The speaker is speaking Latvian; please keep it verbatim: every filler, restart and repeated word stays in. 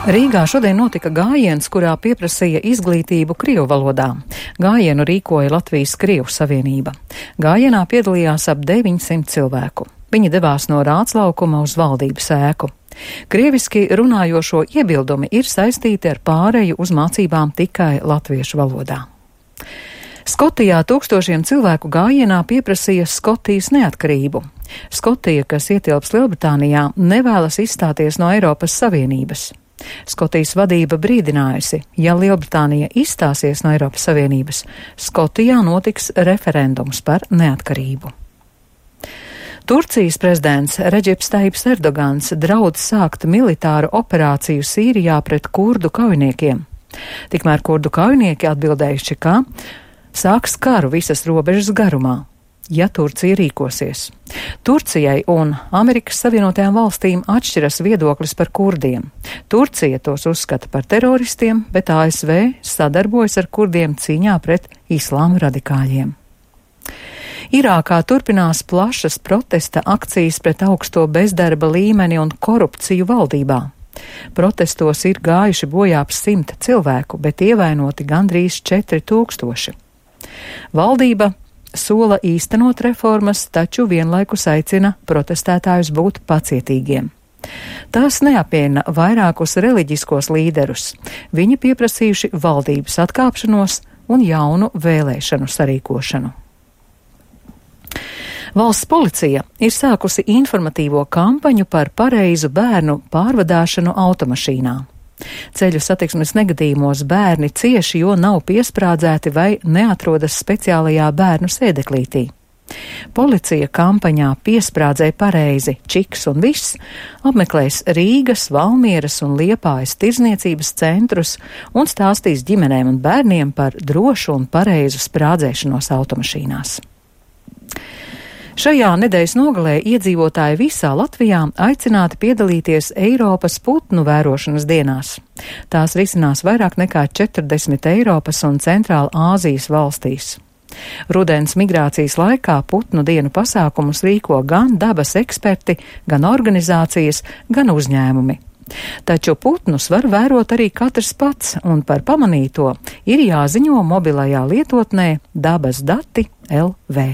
Rīgā šodien notika gājiens, kurā pieprasīja izglītību krievu valodā. Gājienu rīkoja Latvijas Krievu savienība. Gājienā piedalījās ap deviņsimt cilvēku. Viņi devās no Rāclaukuma uz valdības ēku. Krieviski runājošo iebildumi ir saistīti ar pāreju uz mācībām tikai latviešu valodā. Skotijā tūkstošiem cilvēku gājienā pieprasīja Skotijas neatkarību. Skotija, kas ietilpst Lielbritānijā, nevēlas izstāties no Eiropas Savienības. Skotijas vadība brīdinājusi, ja Lielbritānija izstāsies no Eiropas Savienības, Skotijā notiks referendums par neatkarību. Turcijas prezidents Redžips Tajjips Erdogans draudz sākt militāru operāciju Sīrijā pret kurdu kaujiniekiem. Tikmēr kurdu kaujinieki atbildējuši, ka sāks karu visas robežas garumā, ja Turcija rīkosies. Turcijai un Amerikas Savienotajām valstīm atšķiras viedoklis par kurdiem. Turcija tos uzskata par teroristiem, bet A S V sadarbojas ar kurdiem cīņā pret islāma radikāļiem. Irākā turpinās plašas protesta akcijas pret augsto bezdarba līmeni un korupciju valdībā. Protestos ir gājuši bojā ap simt cilvēku, bet ievainoti gandrīz četri tūkstoši. Valdība sola īstenot reformas, taču vienlaikus aicina protestētājus būt pacietīgiem. Tās neapviena vairākus reliģiskos līderus. Viņi pieprasījuši valdības atkāpšanos un jaunu vēlēšanu sarīkošanu. Valsts policija ir sākusi informatīvo kampaņu par pareizu bērnu pārvadāšanu automašīnā. Ceļu satiksmes negadījumos bērni cieši, jo nav piesprādzēti vai neatrodas speciālajā bērnu sēdeklītī. Policija kampaņā Piesprādzē pareizi, čiks un viss apmeklēs Rīgas, Valmieras un Liepājas tirzniecības centrus un stāstīs ģimenēm un bērniem par drošu un pareizu sprādzēšanos automašīnās. Šajā nedēļas nogalē iedzīvotāji visā Latvijā aicināti piedalīties Eiropas putnu vērošanas dienās. Tās risinās vairāk nekā četrdesmit Eiropas un Centrāla Āzijas valstīs. Rudens migrācijas laikā putnu dienu pasākumus rīko gan dabas eksperti, gan organizācijas, gan uzņēmumi. Taču putnus var vērot arī katrs pats, un par pamanīto ir jāziņo mobilajā lietotnē dabas dati L V.